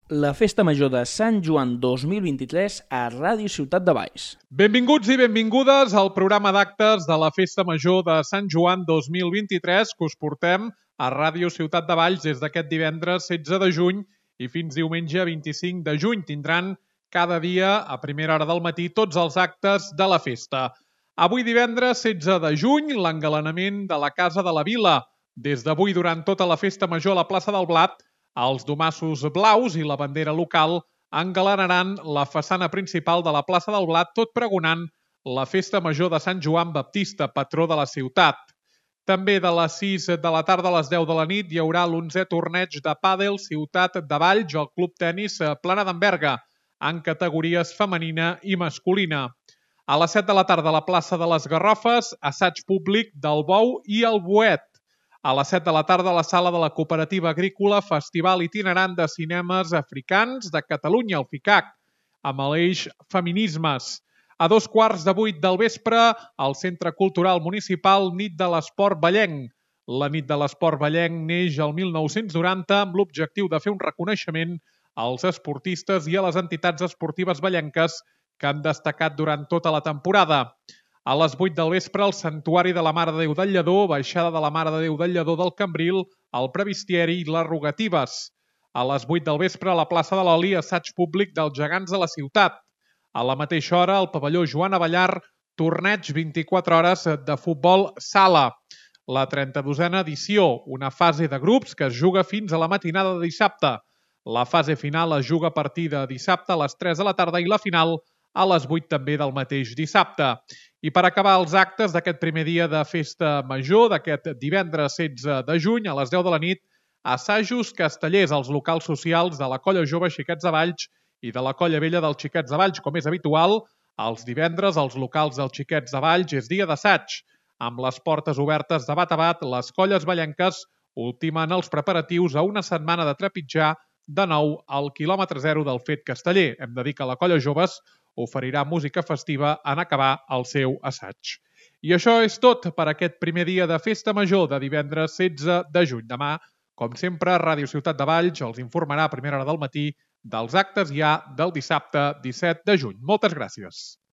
La Festa Major de Sant Joan 2023 a Ràdio Ciutat de Valls. Benvinguts i benvingudes al programa d'actes de la Festa Major de Sant Joan 2023 que us portem a Ràdio Ciutat de Valls des d'aquest divendres 16 de juny i fins diumenge 25 de juny. Tindran cada dia a primera hora del matí tots els actes de la festa. Avui divendres 16 de juny, l'engalanament de la Casa de la Vila. Des d'avui durant tota la Festa Major a la plaça del Blat, els domassos blaus i la bandera local engalanaran la façana principal de la plaça del Blat, tot pregonant la Festa Major de Sant Joan Baptista, patró de la ciutat. També de les 6 de la tarda a les 10 de la nit hi haurà l'11è torneig de pàdel Ciutat de Valls al Club Tenis Plana d'Enverga, en categories femenina i masculina. A les 7 de la tarda a la plaça de les Garrofes, assaig públic del Bou i el Boet. A les 7 de la tarda a la sala de la Cooperativa Agrícola, Festival Itinerant de Cinemes Africans de Catalunya, el FICAC, amb l'eix Feminismes. A 7:15 del vespre, al Centre Cultural Municipal Nit de l'Esport Vallenc. La Nit de l'Esport Vallenc neix el 1990 amb l'objectiu de fer un reconeixement als esportistes i a les entitats esportives vallenques que han destacat durant tota la temporada. A les 8 del vespre, el Santuari de la Mare de Déu del Lledó, Baixada de la Mare de Déu del Lledó del Cambril, el Previstieri i les Rogatives. A les 8 del vespre, a la plaça de l'Oli, assaig públic dels gegants de la ciutat. A la mateixa hora, al pavelló Joan Avellar, torneig 24 hores de futbol sala. La 32a edició, una fase de grups que es juga fins a la matinada de dissabte. La fase final es juga a partir de dissabte a les 3 de la tarda i la final a les 8 també del mateix dissabte. I per acabar els actes d'aquest primer dia de festa major, d'aquest divendres 16 de juny, a les 10 de la nit, assajos castellers als locals socials de la Colla Jove Xiquets de Valls i de la Colla Vella dels Xiquets de Valls. Com és habitual, els divendres als locals dels Xiquets de Valls és dia d'assaig. Amb les portes obertes de bat a bat, les colles vallenques ultimen els preparatius a una setmana de trepitjar de nou al quilòmetre zero del fet casteller. Hem de dir que la Colla Joves oferirà música festiva en acabar el seu assaig. I això és tot per aquest primer dia de Festa Major de divendres 16 de juny. Demà, com sempre, Ràdio Ciutat de Valls els informarà a primera hora del matí dels actes ja del dissabte 17 de juny. Moltes gràcies.